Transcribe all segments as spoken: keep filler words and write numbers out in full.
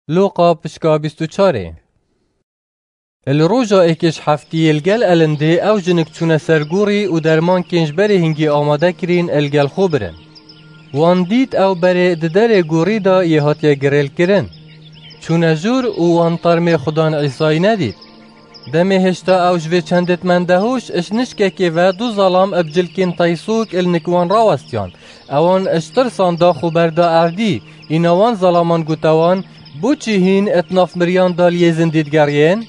Lûqa pişka bîst û çarê. Li roja êkê ji heftiyê li gel elindê ew jinik çûne ser gorî û dermankên ji berê hingî amade kirîn li gel xwe birin. Wan dît ew berê di derê gorî de yê hatiye girêlkirin. Çûne jûr û wan termê Xudan Îsayî nedît. Demê hêşta ew ji vê çendê mende hoş, ji nişkekê ve du zelam bi cilkên teysok li nik wan rawestiyan. Ewan ji tirsan da xwe berda erdî, îna wan zelaman gote wan, "Bo çi hîn di nav miriyan da li yê zindî digeriyên?"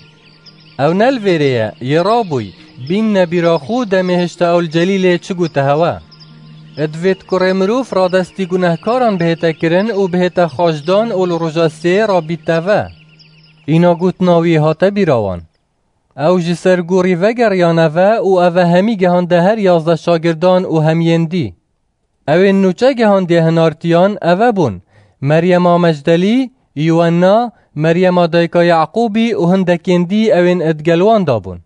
Ew ne li vêrê ye, yê rabûy, bînne bîra xwe demê hêşta ew li Celîlê çi gote hewe. Divêt kurê mirov radestî gunehkaran bihête kirin û bihête xaçdan û li roja sê rabîte ve. Îna gotina wî hate bîra wan. Ew ji ser gorî vegeriyane ve û eve hemî gehande her yazdeh şagirdan û hemiyên dî. Ewên nûçe gehandiye hinartiyan eve bûn: Meryema Mecdelî, Yuwenna, Meryema dayika Yaqûbî û hindekên dî ewên di gel wan de bûn.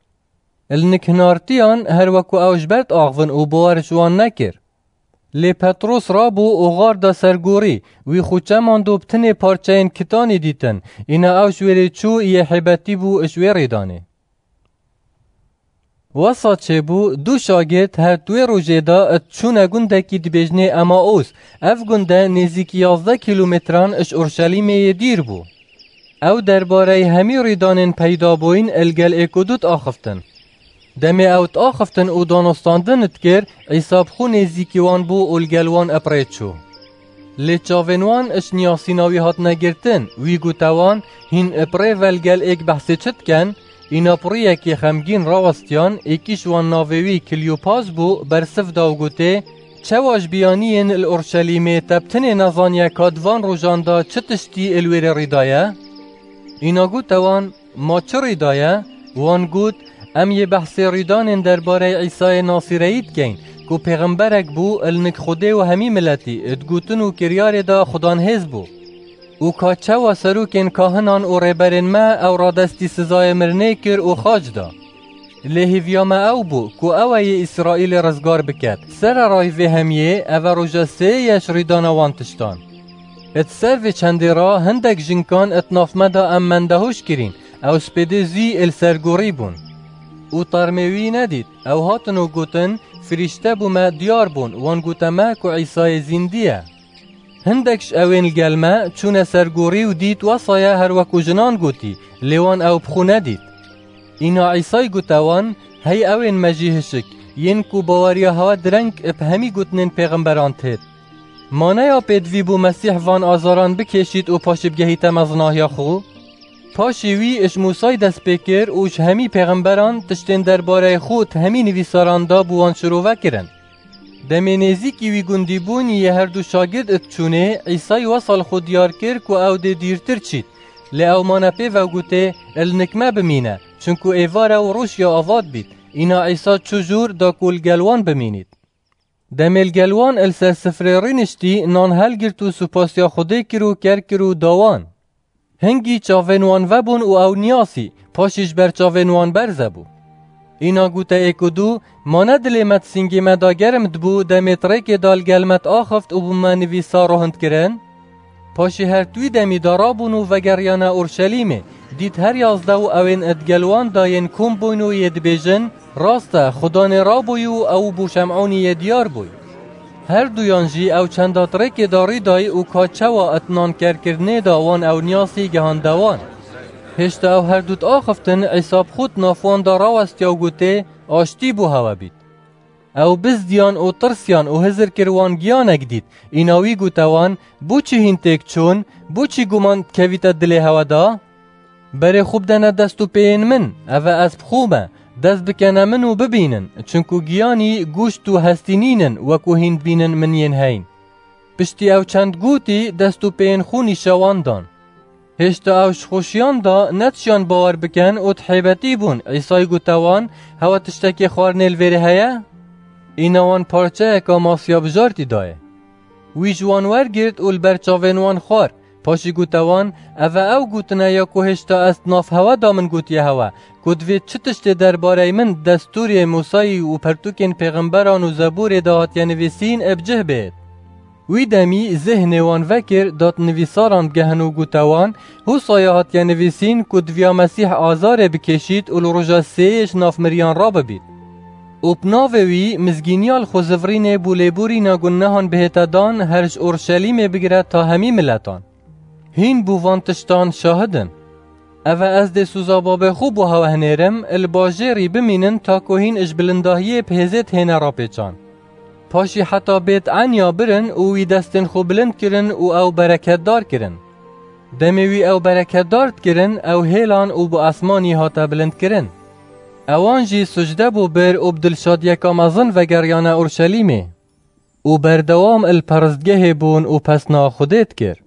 Li nik hinartiyan her weku ew ji ber diaxivin û bawer ji wan nekir. Lê Petros rabû û xar da ser gorî, wî xwe çemand û bi tinê parçeyên kitanî dîtin, îna ew ji wêrê çû yê hêbetî bû ji wê rêdanê. Wesa çêbû, du şagird her di wê rojê de diçûne gundekî dibêjinê Emaus. Ev gunde nêzîkî yazdeh kîlometran ji Urşelîmê yê dîr bû. Ew derbareyê hemî rîdanên peyda bûyîn li gel êk û du diaxiftin. Demê ew diaxiftin û danûstandin dikir, Îsa bi xwe nêzîkî wan bû û li gel wan bi rê çû. Lê çavên wan ji niyasîna wî hatine girtin, wî gote wan, "Hîn bi rê ve li gel êk behsê çi dikin?" Îna bi rûyekê xemgîn rawestiyan, êkî ji wan navê wî Kilyopas bû, bersiv da û gotê, "Çawa ji biyaniyên li Urşelîmê te bi tinê nezaniye ka di van rojan de çi tiştî li wêrê rî daye?" Îna gote wan, "Ma çi rî daye?" Wan got, "Em yê behsê rîdanên derbareyê Îsayê Nasîreyî dikeyn, ku pêxemberek bû, li nik Xwedê û hemî miletî, di gotin û kiryarê de Xudan hêz bû. Û ka çawa serokên kahinan û rêberên me ew radestî sizayê mirinê kir û xaç da. Lê hêviya me ew bû, ku ew ê yê Îsraîlê rizgar biket. Sererayî vê hemiyê, eve roja sê ye ji rîdana wan tiştan. Di ser vê çendê re hindek jinkan di nav me de em mendehoş kirîn, ew spêdê zî li ser gorî bûn. Û termê wî nedît, ew hatin û gotin, 'Firîşte bo me diyar bûn, wan gote me ku Îsayê zîndî ye.' Hindek ji ewên li gel me çûne ser gorî û dît wesa ye her wek ku jinan gotî, lê wan ew bi xwe nedît. Îna Îsay gote wan, "Hey ewên me jî hişik, yên ku baweriya hewe direng bi hemî gotinên pêxemberan têt. Ma ne ya pêdivî bû Mesîh van azaran bikêşît û paşî bigehîte mezinahiya xwe? Paşî wî ji Mûsayî dest pê kir û ji hemî pêxemberan tiştên derbareyê xwe di hemî nivîsaran de bo wan şirove kirin." Demê nêzîkî wî gundî bûn yê her du şagird diçûnê, Îsay wesa li xwe diyar kir ku ew dê dîrtir çît. Lê ew mane pê ve û gotê, "Li nik me bimîne, çinku êvar e û roj ya ava dibît." Îna Îsa çû jûr da ku li gel wan bimînît. Demê li gel wan li ser sifrê rûniştî, nan helgirt û supasiya Xwedê kir û ker kir û da wan. Hingî çavên wan vebûn û ew niyasî, paşî ji ber çavên wan berze bû. Îna gote êk û du, "Ma ne dilê me di sîngê me de germ dibû, demê di rêkê de li gel me diaxift û bo me nivîsa rohind kirin?" Paşî her di wî demî de rabûn û vegeriyane Urşelîmê. Dît her yazdeh û ewên di gel wan de yên kom bûyn û yê dibêjin, "Rast e, Xudanê rabûyî û ew bo Şem'ûnî yê diyar bûy." Her duyan jî ew çenda di rêkê de rî dayî û ka çawa di nan kerkirinê de wan ew niyasî gehande wan. Hêşta ew her du diaxiftin, Îsa bi xwe di nav wan de rawestiya û gotê, "Aştî bo hewe bît." Ew bizdiyan û tirsiyan û hizir kir wan giyanek dît. Îna wî gote wan, "Bo çi hîn têk çûn? Bo çi guman dikevîte dilê hewe de? Berê xwe bidene dest û pêyên min, eve ez bi xwe me. Dest bikene min û bibînin, çinku giyanî, goşt û hestî nînin, wekû hîn dibînin min yên heyn." Piştî ew çend gotî, dest û pêyên xwe nîşa wan dan. Hêşta ew ji xweşiyan de netişiyan bawer bikin û di hêbetî bûn. Îsay gote wan, "Hewe tiştekê xwarinê li vêrê heye?" Îna wan parçeyeka masiya bijartî dayê. Wî ji wan wergirt û li ber çavên wan xwar. Paşî gote wan, "Eve ew gotine ya ku hêşta ez di nav hewe de min gotiye hewe, ku divê çi tiştê derbareyê min di destûrê Mûsayî û pertûkên pêxemberan û Zeborê de hatiye nivîsîn, ê bi cih bêt." Wî demî zêhnê wan vekir, dat nivîsaran digehin û gote wan, Hûsaya hatiye nivîsîn ku diviya Mesîh azarê bikêşît û li roja sêyê ji nav miriyan rabibît. Û bi navê wî mizgîniya li xwe zivirînê bû lêborîna gunehan bihête dan, her ji Orşelîmê bigire ta hemî miletan. Hîn bû van tiştan şahid in. Eve ez dê sûza babê xwe bo hewe hinêrim, li bajêrî bimînin ta ku hîn ji bilindahiyê bi hêzê dihêne rapêçan. Paşî heta Bêt Enya birin û wî destên xwe bilind kirin û ew bereketdar kirin. Demê wî ew bereketdar dikirin, ew hêlan û bi esmanî hate bilindkirin. Ewan jî sucde bû bir û bi dilşadiyeka mezin vegeriyane Orşelîmê. Û berdewam il peristgehê bûn û pesna Xwedê dikir.